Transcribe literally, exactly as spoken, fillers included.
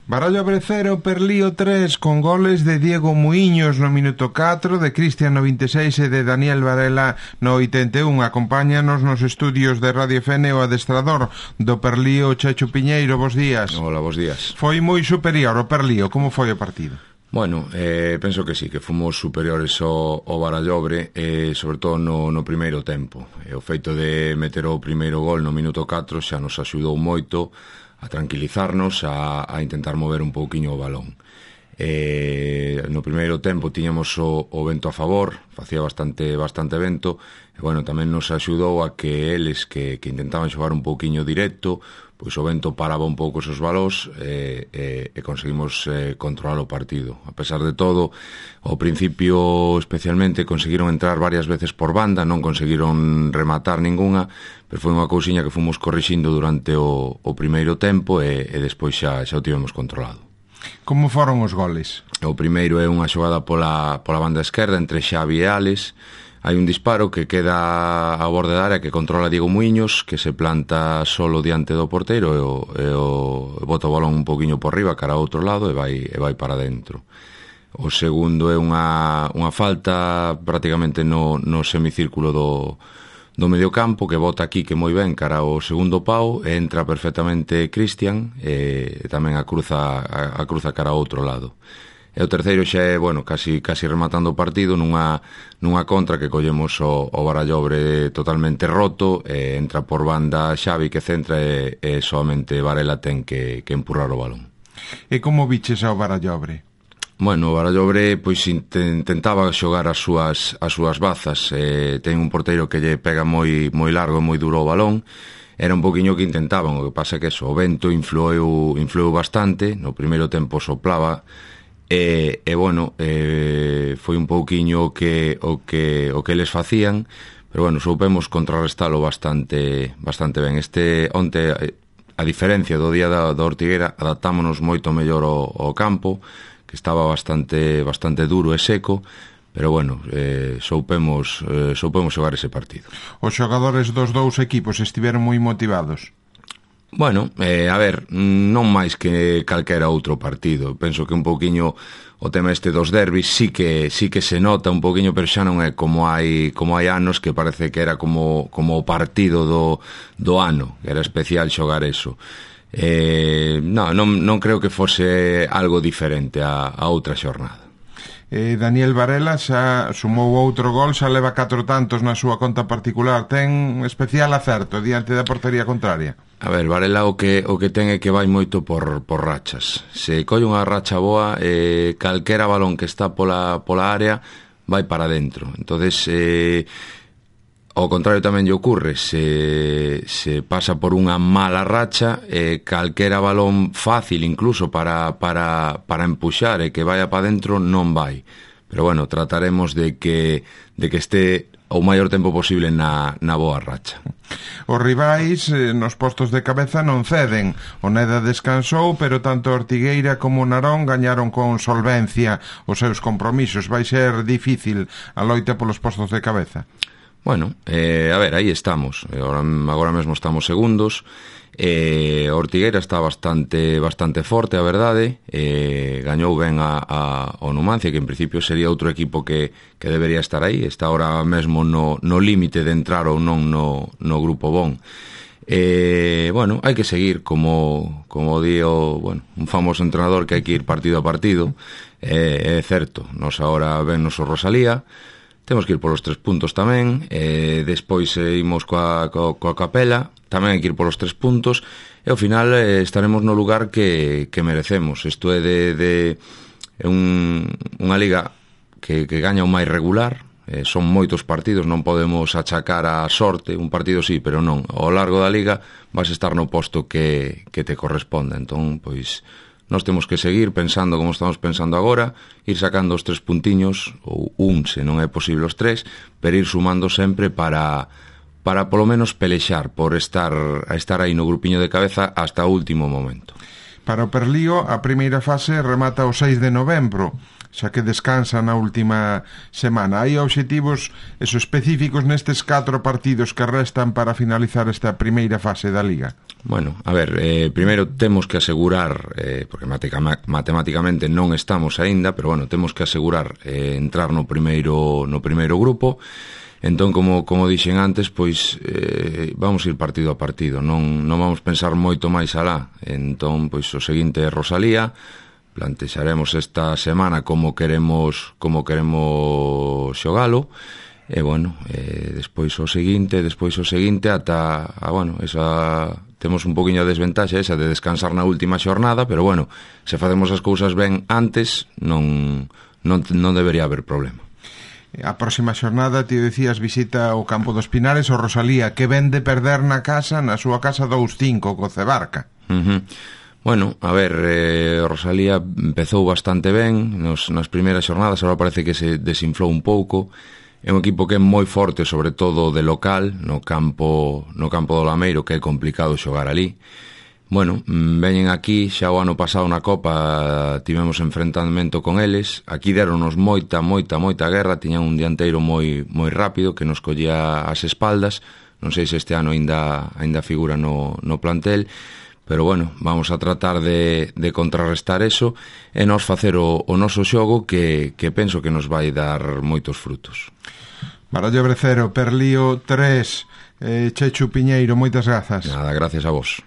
Barallobre cero, Perlío tres, con goles de Diego Muiños no minuto catro, de Cristian no vinte e seis e de Daniel Varela no oitenta e un. Acompáñanos nos estudios de Radio F N o adestrador do Perlío, Checho Piñeiro. Bos días. Hola, bos días. Foi moi superior o Perlío, como foi o partido? Bueno, eh, penso que sí, que fomos superiores ao, ao Barallobre, eh, sobre todo no, no primeiro tempo. E o feito de meter o primeiro gol no minuto catro xa nos axudou moito a tranquilizarnos, a, a intentar mover un pouquiño o balón. Eh, no primeiro tempo tiñamos o, o vento a favor, facía bastante bastante vento, e bueno, tamén nos axudou a que eles que, que intentaban xogar un pouquiño directo, pois o vento paraba un pouco esos balós e, e, e conseguimos eh, controlar o partido. A pesar de todo, ao principio especialmente conseguiron entrar varias veces por banda, non conseguiron rematar ningunha, pero foi unha cousiña que fomos corrixindo durante o, o primeiro tempo e, e despois xa, xa o tivemos controlado. Como foron os goles? O primeiro é unha xogada pola, pola banda esquerda entre Xavi e Alex. Hai un disparo que queda a borde da área que controla Diego Muiños, que se planta solo diante do porteiro e o, e o bota o balón un poquinho por riba cara ao outro lado e vai, e vai para dentro. O segundo é unha, unha falta prácticamente no, no semicírculo do, do mediocampo, que bota aquí que moi ben cara ao segundo pau e entra perfectamente Cristian e tamén a cruza, a, a cruza cara ao outro lado. E o terceiro xa é, bueno, casi, casi rematando o partido nunha, nunha contra que collemos o, o Barallobre totalmente roto e entra por banda Xavi que centra e, e somente Varela ten que, que empurrar o balón. E como viches ao Barallobre? Bueno, o Barallobre pois intentaba xogar as súas, as súas bazas, e ten un porteiro que lle pega moi, moi largo e moi duro o balón. Era un poquinho que intentaban, o que pasa que eso, o vento influeu, influeu bastante, no primeiro tempo soplaba. E, e bueno, eh, foi un pouquiño o que, o que, o que eles facían, pero bueno, soupemos contrarrestalo bastante bastante ben. Este onte, a diferencia do día da, da Ortigueira, adaptámonos moito mellor ao, ao campo, que estaba bastante bastante duro e seco, pero bueno, eh, soupemos, eh, soupemos xogar ese partido. Os xogadores dos dous equipos estiveron moi motivados? Bueno, eh, a ver, non máis que calquera outro partido. Penso que un pouquiño o tema este dos derbis sí que sí que se nota un pouquiño, pero xa non é como hai como hai anos que parece que era como como o partido do do ano, que era especial xogar eso. Eh, non, non non creo que fose algo diferente a, a outra xornada. Eh, Daniel Varela xa sumou outro gol, xa leva catro tantos na súa conta particular. Ten especial acerto diante da portería contraria. A ver, Varela o que o que ten é que vai moito por, por rachas. Se colle unha racha boa, eh, calquera balón que está pola, pola área vai para dentro. Entonces, eh, ao contrario tamén lle ocurre, se, se pasa por unha mala racha, eh, calquera balón fácil incluso para, para, para empuxar e que vaya para dentro non vai. Pero bueno, trataremos de que, de que esté o maior tempo posible na, na boa racha. Os rivais eh, nos postos de cabeza non ceden. O Neda descansou, pero tanto Ortigueira como Narón gañaron con solvencia os seus compromisos. Vai ser difícil a loita polos postos de cabeza. Bueno, eh, a ver, aí estamos. Agora, agora mesmo estamos segundos. Eh, Ortigueira está bastante bastante forte, a verdade. Eh, gañou ben a, a, o Numancia, que en principio sería outro equipo que, que debería estar aí. Está ahora mesmo no, no límite de entrar ou non no, no grupo bon. Eh, bueno, hai que seguir como, como di o, bueno, un famoso entrenador, que hai que ir partido a partido. Eh, é certo, nos agora ven nos o Rosalía. Temos que ir polos tres puntos tamén, e despois eh, imos coa, coa, coa Capela, tamén hai que ir polos tres puntos, e ao final eh, estaremos no lugar que, que merecemos. Isto é de, de un, unha liga que, que gaña o máis regular, eh, son moitos partidos, non podemos achacar a sorte, un partido sí, pero non. Ao largo da liga vas estar no posto que, que te corresponda, entón, pois, nós temos que seguir pensando como estamos pensando agora, ir sacando os tres puntiños, ou un, se non é posible os tres, pero ir sumando sempre para, para polo menos pelexar por estar, a estar aí no grupiño de cabeza hasta o último momento. Para o Perlío, a primeira fase remata o seis de novembro, xa que descansa na última semana. Hai obxectivos eso, específicos nestes catro partidos que restan para finalizar esta primeira fase da Liga? Bueno, a ver, eh, primeiro temos que asegurar, eh, porque matemáticamente non estamos aínda, pero bueno, temos que asegurar eh, entrar no primeiro no primeiro grupo. Entón, como, como dixen antes, pois eh, vamos ir partido a partido, non, non vamos pensar moito máis alá. Entón, pois o seguinte é Rosalía. Plantexaremos esta semana como queremos como queremos xogalo e bueno, eh, despois o seguinte, despois o seguinte ata, a, bueno, esa temos un poquinho de desventaxa esa de descansar na última xornada, pero bueno, se facemos as cousas ben antes, non non non debería haber problema. A próxima xornada, ti decías, visita o Campo dos Pinares o Rosalía, que ven de perder na casa, na súa casa dous cinco co Cebarca. Uh-huh. Bueno, a ver, eh, Rosalía empezou bastante ben nos, nas primeiras xornadas, agora parece que se desinflou un pouco. É un equipo que é moi forte, sobre todo de local, no campo no campo do Lameiro, que é complicado xogar ali. Bueno, veñen aquí, xa o ano pasado na Copa tivemos enfrentamento con eles. Aquí deronos moita, moita, moita guerra, tiñan un dianteiro moi moi rápido que nos collía as espaldas. Non sei se este ano aínda aínda figura no, no plantel, pero bueno, vamos a tratar de, de contrarrestar eso e nos facer o, o noso xogo que, que penso que nos vai dar moitos frutos. Barallo Brecero, Perlío tres, eh, Chechu Piñeiro, moitas grazas. Nada, gracias a vos.